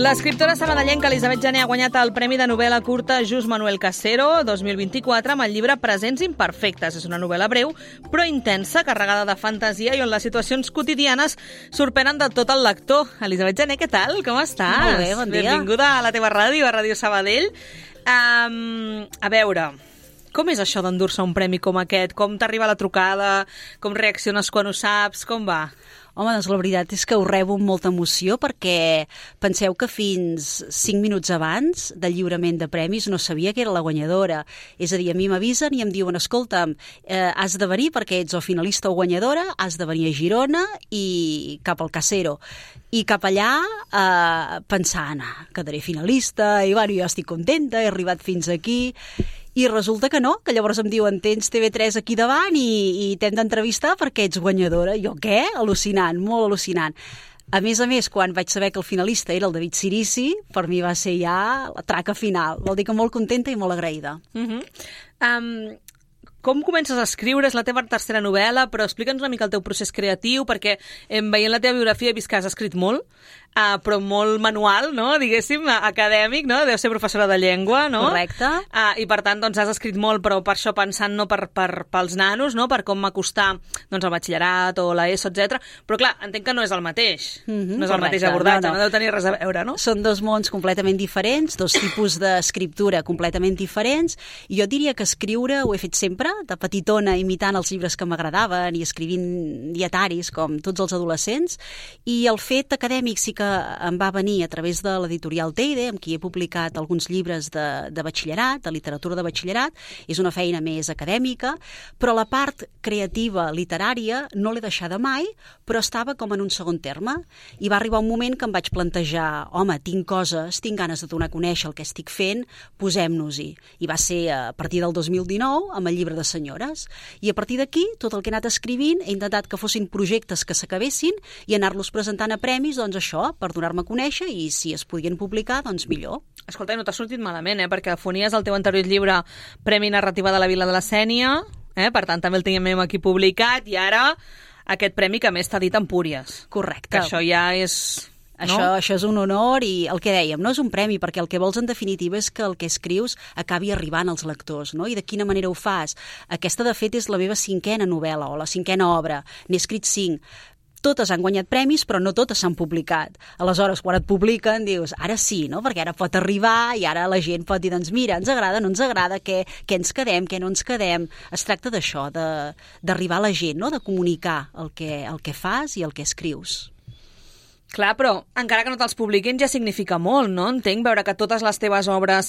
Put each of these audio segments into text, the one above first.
L'escriptora sabadellenca Elisabet Jané ha guanyat el Premi de novel·la curta Just Manuel Casero 2024 amb el llibre Presents imperfectes. És una novel·la breu, però intensa, carregada de fantasia i on les situacions quotidianes sorprenen de tot el lector. Elisabet Jané, què tal? Com estàs? Molt bé, bon dia. Benvinguda a la teva ràdio, a Ràdio Sabadell. A veure, com és això d'endur-se un premi com aquest? Com t'arriba la trucada? Com reacciones quan ho saps? Com va? Home, doncs la veritat és que ho rebo amb molta emoció perquè penseu que fins 5 minuts abans del lliurament de premis no sabia que era la guanyadora. És a dir, a mi m'avisen i em diuen, escolta'm, has de venir perquè ets o finalista o guanyadora, has de venir a Girona i cap al Casero. I cap allà pensant, quedaré finalista, i bueno, jo estic contenta, he arribat fins aquí. I resulta que no, que llavors em diuen tens TV3 aquí davant i t'hem d'entrevistar perquè ets guanyadora. Jo què? Al·lucinant, molt al·lucinant. A més, quan vaig saber que el finalista era el David Cirici, per mi va ser ja la traca final. Vol dir que molt contenta i molt agraïda. Com comences a escriure? És la teva tercera novel·la, però explica'ns una mica el teu procés creatiu, perquè veient la teva biografia he vist que has escrit molt, però molt manual, no? Diguéssim, acadèmic, no? Deu ser professora de llengua, no? Correcte. I per tant, doncs, has escrit molt, però per això pensant no pels nanos, no? Per com m'acostar doncs, el batxillerat o l'ESO, etc. Però clar, entenc que no és el mateix. No és el mateix abordatge, no deu tenir res a veure, no? Són dos mons completament diferents, dos tipus d'escriptura completament diferents, i jo diria que escriure ho he fet sempre, de petitona, imitant els llibres que m'agradaven i escrivint dietaris com tots els adolescents, i el fet acadèmic sí que em va venir a través de l'editorial Teide, amb qui he publicat alguns llibres de batxillerat, de literatura de batxillerat. És una feina més acadèmica, però la part creativa, literària, no l'he deixada mai, però estava com en un segon terme. I va arribar un moment que em vaig plantejar, home, tinc coses, tinc ganes de donar a conèixer el que estic fent, posem-nos-hi. I va ser a partir del 2019 amb el llibre de senyores. I a partir d'aquí, tot el que he anat escrivint, he intentat que fossin projectes que s'acabessin i anar-los presentant a premis, doncs això, per donar-me a conèixer, i si es podien publicar, doncs millor. Escolta, no t'ha sortit malament, perquè Fonies, el teu anterior llibre, Premi Narrativa de la Vila de la Sénia, per tant també el teníem aquí publicat, i ara aquest premi que a més t'ha dit Empúries. Correcte. Que això ja és... No? Això és un honor, i el que dèiem, no és un premi, perquè el que vols en definitiva és que el que escrius acabi arribant als lectors, no? I de quina manera ho fas? Aquesta, de fet, és la meva 5a novel·la o la 5a obra. N'he escrit 5. Totes han guanyat premis, però no totes s'han publicat. Aleshores, quan et publiquen, dius, ara sí, no? Perquè ara pot arribar i ara la gent pot dir, doncs mira, ens agrada, no ens agrada, què ens quedem, què no ens quedem. Es tracta d'això, d'arribar a la gent, no? De comunicar el que fas i el que escrius. Clar, però encara que no te'ls publiquin ja significa molt, no? Entenc, veure que totes les teves obres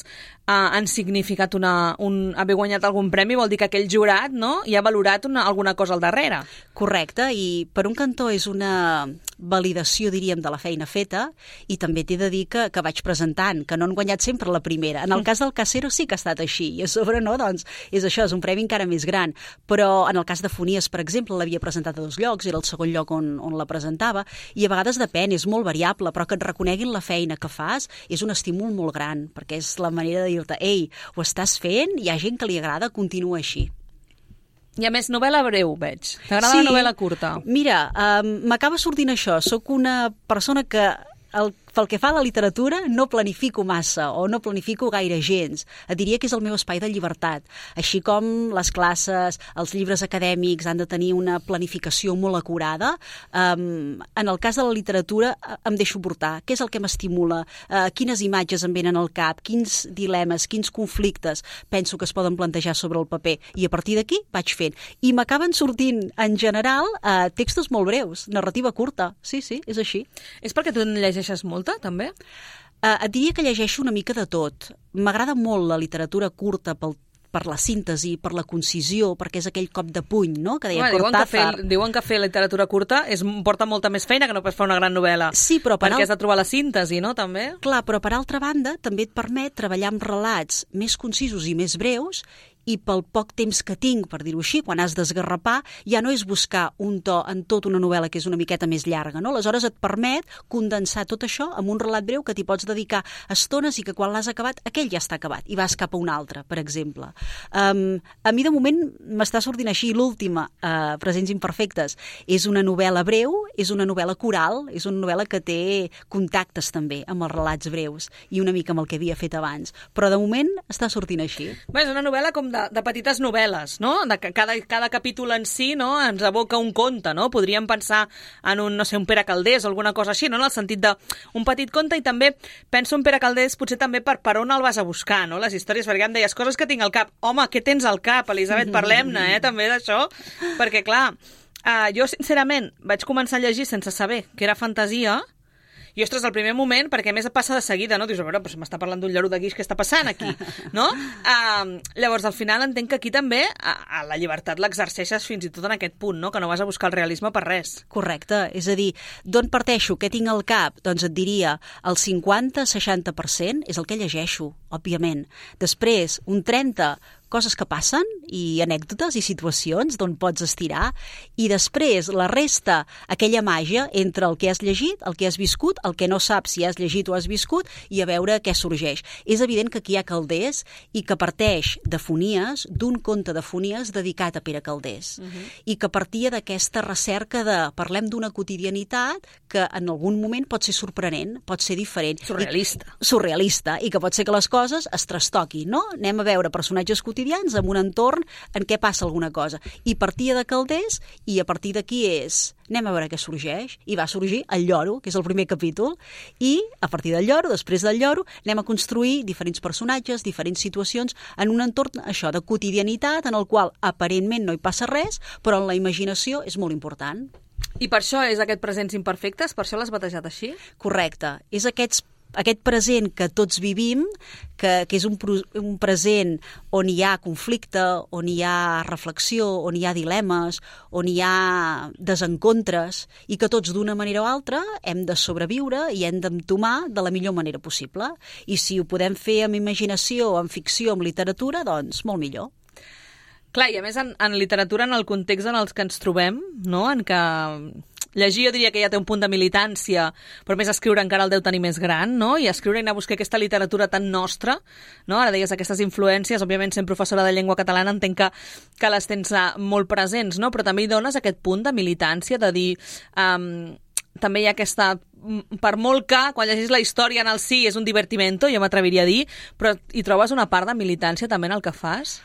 han significat haver guanyat algun premi, vol dir que aquell jurat, no?, hi ha valorat alguna cosa al darrere. Correcte, i per un cantó és una validació, diríem, de la feina feta, i també t'he de dir que vaig presentant, que no han guanyat sempre la primera. En el cas del Casero sí que ha estat així, i a sobre no, doncs és això, és un premi encara més gran. Però en el cas de Fonies, per exemple, l'havia presentat a 2 llocs, era el segon lloc on la presentava, i a vegades depèn, és molt variable, però que et reconeguin la feina que fas és un estímul molt gran, perquè és la manera de dir-te, ei, ho estàs fent, hi ha gent que li agrada, continua així. I a més, novel·la breu, veig. T'agrada la novel·la curta? Mira, m'acaba sortint això. Soc una persona que pel que fa a la literatura no planifico massa o no planifico gaire gens. Et diria que és el meu espai de llibertat. Així com les classes, els llibres acadèmics han de tenir una planificació molt acurada, en el cas de la literatura em deixo portar. Què és el que m'estimula? Quines imatges em venen al cap? Quins dilemes, quins conflictes penso que es poden plantejar sobre el paper? I a partir d'aquí vaig fent. I m'acaben sortint, en general, textos molt breus, narrativa curta. Sí, és així. És perquè tu en llegeixes molta, també? Et diria que llegeixo una mica de tot. M'agrada molt la literatura curta per la síntesi, per la concisió, perquè és aquell cop de puny, no?, que deia Cortázar. Diuen que fer literatura curta porta molta més feina que no pas fer una gran novel·la. Sí, però perquè has de trobar la síntesi, no?, també. Clar, però per altra banda també et permet treballar amb relats més concisos i més breus, i pel poc temps que tinc, per dir-ho així, quan has d'esgarrapar, ja no és buscar un to en tota una novel·la que és una miqueta més llarga, no? Aleshores et permet condensar tot això en un relat breu que t'hi pots dedicar estones i que quan l'has acabat, aquell ja està acabat i vas cap a un altre, per exemple. A mi de moment m'està sortint així l'última, Presents imperfectes. És una novel·la breu, és una novel·la coral, és una novel·la que té contactes també amb els relats breus i una mica amb el que havia fet abans. Però de moment està sortint així. Bé, és una novel·la com de petites novel·les, no? De que cada capítol en si, no, ens evoca un conte, no? Podríem pensar en un, no sé, un Pere Calders o alguna cosa així, no? En el sentit d'un petit conte, i també penso en Pere Calders potser també per on el vas a buscar, no? Les històries, perquè em deies coses que tinc al cap. Home, què tens al cap, Elisabet? Parlem-ne, també d'això, perquè clar, jo sincerament vaig començar a llegir sense saber que era fantasia. I, ostres, al primer moment, perquè a més passa de seguida, no? Dius, a veure, però m'està parlant d'un lloro de guix, què està passant aquí? No? Llavors, al final entenc que aquí també a la llibertat l'exerceixes fins i tot en aquest punt, no? Que no vas a buscar el realisme per res. Correcte, és a dir, d'on parteixo, què tinc al cap? Doncs et diria, el 50-60% és el que llegeixo, òbviament. Després, un 30%, coses que passen i anècdotes i situacions d'on pots estirar, i després la resta, aquella màgia entre el que has llegit, el que has viscut, el que no saps si has llegit o has viscut, i a veure què sorgeix. És evident que aquí hi ha Calders i que parteix de Fonies, d'un conte de Fonies dedicat a Pere Calders, i que partia d'aquesta recerca de parlem d'una quotidianitat que en algun moment pot ser sorprenent, pot ser diferent. Surrealista, i que pot ser que les coses es trastoquin, no? Anem a veure personatges quotidians en un entorn en què passa alguna cosa. I partia de Calders, i a partir d'aquí anem a veure què sorgeix, i va sorgir el lloro, que és el primer capítol, i a partir del lloro, després del lloro, anem a construir diferents personatges, diferents situacions, en un entorn, això, de quotidianitat, en el qual aparentment no hi passa res, però en la imaginació és molt important. I per això és aquest Presents imperfectes? Per això l'has batejat així? Correcte. És aquest present que tots vivim, que és un present on hi ha conflicte, on hi ha reflexió, on hi ha dilemes, on hi ha desencontres, i que tots d'una manera o altra hem de sobreviure i hem d'entomar de la millor manera possible. I si ho podem fer amb imaginació, amb ficció, amb literatura, doncs molt millor. Clar, i a més en literatura, en el context en el que ens trobem, no? En què llegir jo diria que ja té un punt de militància, però més escriure encara el deu tenir més gran, no? I escriure i anar a buscar aquesta literatura tan nostra, no? Ara deies aquestes influències, òbviament sent professora de llengua catalana entenc que les tens molt presents, no? Però també hi dones aquest punt de militància, de dir... també hi ha aquesta... Per molt que, quan llegis la història en el si, és un divertimento, jo m'atreviria a dir, però hi trobes una part de militància també en el que fas?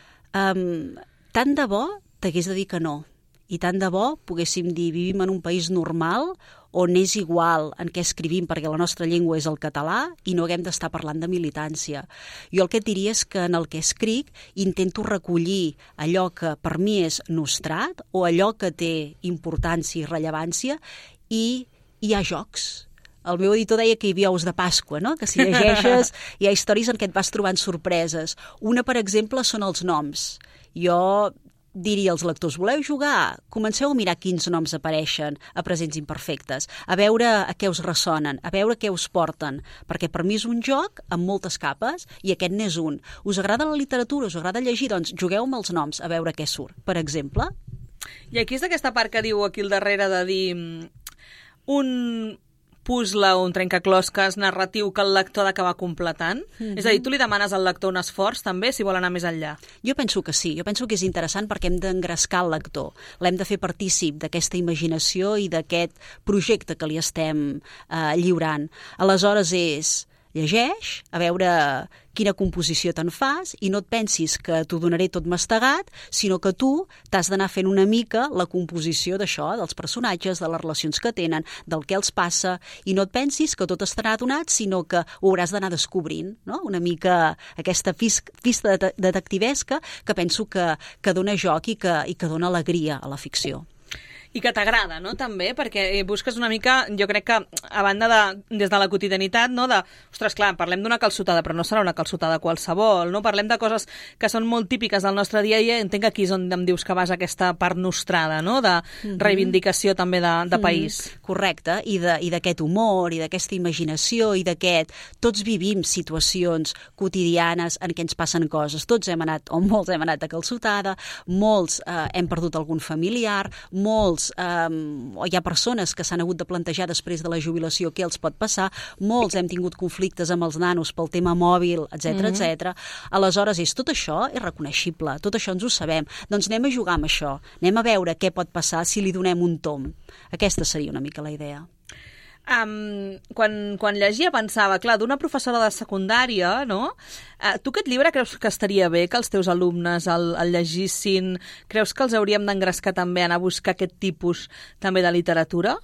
Tant de bo t'hagués de dir que no. I tant de bo poguéssim dir vivim en un país normal on és igual en què escrivim perquè la nostra llengua és el català i no haguem d'estar parlant de militància. Jo el que et diria és que en el que escric intento recollir allò que per mi és nostrat o allò que té importància i rellevància, i hi ha jocs. El meu editor deia que hi havia ous de Pasqua, no? Que si llegeixes hi ha històries en què et vas trobant sorpreses. Una, per exemple, són els noms. Jo diria als lectors, voleu jugar? Comenceu a mirar quins noms apareixen a Presents imperfectes, a veure a què us ressonen, a veure què us porten, perquè per mi és un joc amb moltes capes i aquest n'és un. Us agrada la literatura, us agrada llegir? Doncs jugueu amb els noms a veure què surt, per exemple. I aquí és aquesta part que diu aquí al darrere de dir un puzzle o un trencaclosques narratiu que el lector ha d'acabar completant? És a dir, tu li demanes al lector un esforç també si vol anar més enllà? Jo penso que sí, jo penso que és interessant perquè hem d'engrescar el lector, l'hem de fer partícip d'aquesta imaginació i d'aquest projecte que li estem lliurant. Aleshores llegeix, a veure quina composició te'n fas, i no et pensis que t'ho donaré tot mastegat, sinó que tu t'has d'anar fent una mica la composició d'això, dels personatges, de les relacions que tenen, del que els passa, i no et pensis que tot estarà donat, sinó que ho hauràs d'anar descobrint, no? Una mica aquesta pista detectivesca que penso que dona joc i que dona alegria a la ficció. I que t'agrada, no?, també, perquè busques una mica, jo crec que, a banda des de la quotidianitat, no?, ostres, clar, parlem d'una calçotada, però no serà una calçotada qualsevol, no? Parlem de coses que són molt típiques del nostre dia a dia, entenc que aquí és on em dius que vas aquesta part nostrada, no?, de reivindicació també de país. Correcte, i d'aquest humor, i d'aquesta imaginació, i d'aquest... Tots vivim situacions quotidianes en què ens passen coses. Tots hem anat, o molts hem anat a calçotada, molts hem perdut algun familiar, molts, o hi ha persones que s'han hagut de plantejar després de la jubilació què els pot passar, molts hem tingut conflictes amb els nanos pel tema mòbil, etc. Aleshores, tot això és reconeixible, tot això ens ho sabem. Doncs anem a jugar amb això, anem a veure què pot passar si li donem un tomb. Aquesta seria una mica la idea. Quan llegia pensava, clar, d'una professora de secundària, no? Tu aquest llibre creus que estaria bé que els teus alumnes el llegissin? Creus que els hauríem d'engrescar també a anar a buscar aquest tipus també de literatura?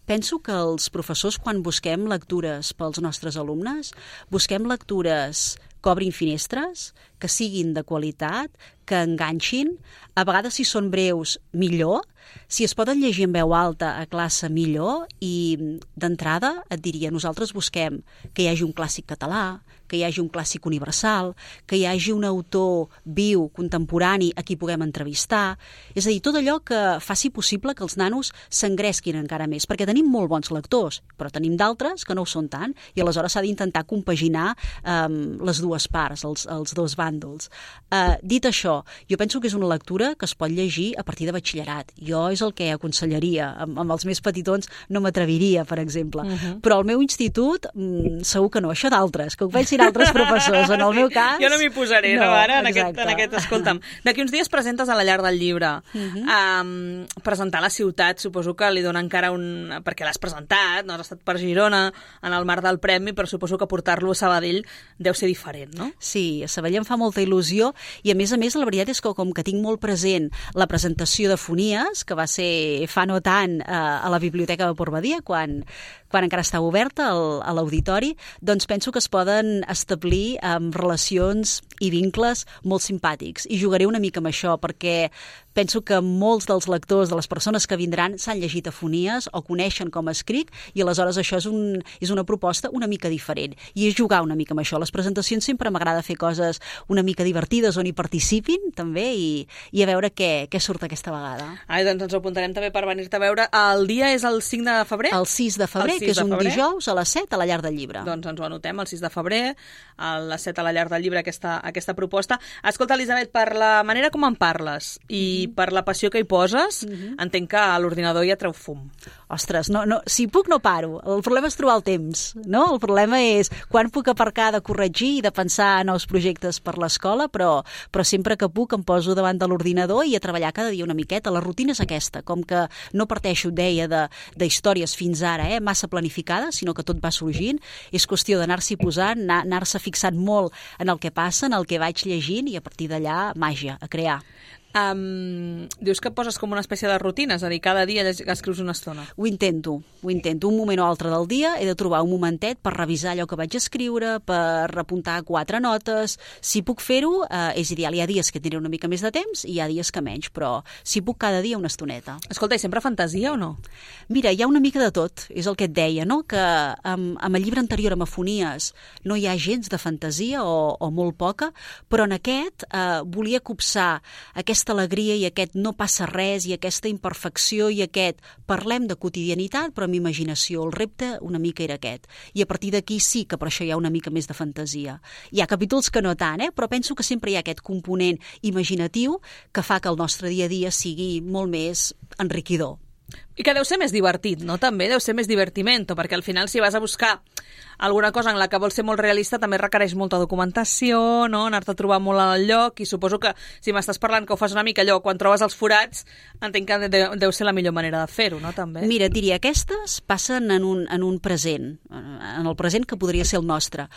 Penso que els professors, quan busquem lectures pels nostres alumnes, busquem lectures que obrin finestres, que siguin de qualitat, que enganxin, a vegades si són breus, millor, si es poden llegir en veu alta a classe, millor, i d'entrada et diria, nosaltres busquem que hi hagi un clàssic català, que hi hagi un clàssic universal, que hi hagi un autor viu, contemporani, a qui puguem entrevistar, és a dir, tot allò que faci possible que els nanos s'engresquin encara més, perquè tenim molt bons lectors, però tenim d'altres que no ho són tant, i aleshores s'ha d'intentar compaginar les dues parts, els dos bàndols. Dit això, jo penso que és una lectura que es pot llegir a partir de batxillerat. Jo és el que aconsellaria. Amb els més petitons no m'atreviria, per exemple. Però al meu institut, segur que no. Això d'altres, que ho pensin altres professors. En el meu cas... Jo no m'hi posaré, no, ara, en aquest escolta'm. D'aquí uns dies presentes a la Llar del Llibre. Presentar la ciutat, suposo que li dona encara un... Perquè l'has presentat, no has estat per Girona, en el marc del premi, però suposo que portar-lo a Sabadell deu ser diferent, no? Sí, a Sabadell em fa molta il·lusió i, a més, la veritat és que com que tinc molt present la presentació de Fonies, que va ser fa no tant a la Biblioteca de Port Badia, quan encara estava oberta a l'auditori, doncs penso que es poden establir relacions i vincles molt simpàtics. I jugaré una mica amb això, perquè penso que molts dels lectors, de les persones que vindran, s'han llegit a Fonies o coneixen com escric, i aleshores això és una proposta una mica diferent. I és jugar una mica amb això. Les presentacions sempre m'agrada fer coses una mica divertides on hi participin, també, i a veure què surt aquesta vegada. Doncs ens ho apuntarem també per venir-te a veure. El dia és el 5 de febrer? El 6 de febrer, que és un dijous a les 7 a la Llar del Llibre. Doncs ens ho anotem, el 6 de febrer, a les 7 a la Llar del Llibre, aquesta proposta. Escolta, Elisabet, per la manera com en parles i per la passió que hi poses, entenc que a l'ordinador ja treu fum. Ostres, no, si puc no paro. El problema és trobar el temps, no? El problema és quan puc aparcar de corregir i de pensar en nous projectes per l'escola, però sempre que puc em poso davant de l'ordinador i a treballar cada dia una miqueta. La rutina és aquesta, com que no parteixo, deia, d'històries fins ara, massa planificades, sinó que tot va sorgint. És qüestió d'anar-s'hi posant, anar-se fixant molt en el que passa, en el que vaig llegint, i a partir d'allà, màgia, a crear. Dius que poses com una espècie de rutina, és a dir, cada dia escrius una estona. Ho intento. Un moment o altre del dia he de trobar un momentet per revisar allò que vaig escriure, per apuntar 4 notes. Si puc fer-ho, és ideal. Hi ha dies que tindré una mica més de temps i hi ha dies que menys, però si puc cada dia una estoneta. Escolta, i sempre fantasia o no? Mira, hi ha una mica de tot, és el que et deia, no? Que amb el llibre anterior, amb Fonies, no hi ha gens de fantasia o molt poca, però en aquest volia copsar aquesta alegria i aquest no passa res i aquesta imperfecció i aquest parlem de quotidianitat però amb imaginació. El repte una mica era aquest. I a partir d'aquí sí que per això hi ha una mica més de fantasia. Hi ha capítols que no tant, però penso que sempre hi ha aquest component imaginatiu que fa que el nostre dia a dia sigui molt més enriquidor. I que deu ser més divertit, no? També deu ser més divertimento, perquè al final si vas a buscar alguna cosa en la que vols ser molt realista també requereix molta documentació, no? Anar-te a trobar molt al lloc, i suposo que si m'estàs parlant que ho fas una mica allò, quan trobes els forats, entenc que deu ser la millor manera de fer-ho, no? També. Mira, diria, aquestes passen en un present, en el present que podria ser el nostre,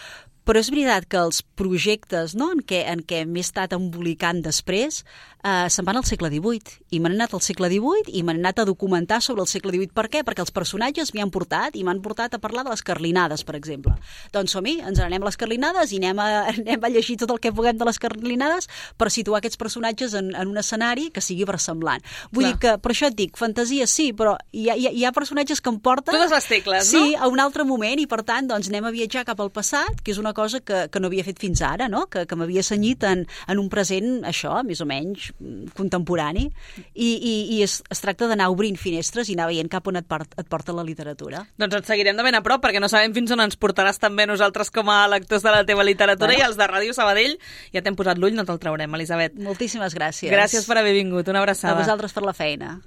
Però és veritat que els projectes, no?, en què m'he estat embolicant després se'n van al segle XVIII. I m'han anat al segle XVIII i m'han anat a documentar sobre el segle XVIII. Per què? Perquè els personatges m'hi han portat i m'han portat a parlar de les carlinades, per exemple. Doncs som-hi, ens anem a les carlinades i anem a llegir tot el que puguem de les carlinades per situar aquests personatges en un escenari que sigui versemblant. Vull dir que, per això et dic, fantasia sí, però hi ha personatges que em porten... Totes les tecles, no? Sí, a un altre moment, i per tant, doncs anem a viatjar cap al passat, que és una cosa que no havia fet fins ara, no? Que m'havia cenyit en un present, això, més o menys contemporani, i es tracta d'anar obrint finestres i anar veient cap on et porta la literatura. Doncs et seguirem de ben a prop, perquè no sabem fins on ens portaràs també nosaltres com a lectors de la teva literatura, i els de Ràdio Sabadell ja t'hem posat l'ull, no te'l traurem, Elisabet. Moltíssimes gràcies. Gràcies per haver vingut, una abraçada. A vosaltres per la feina.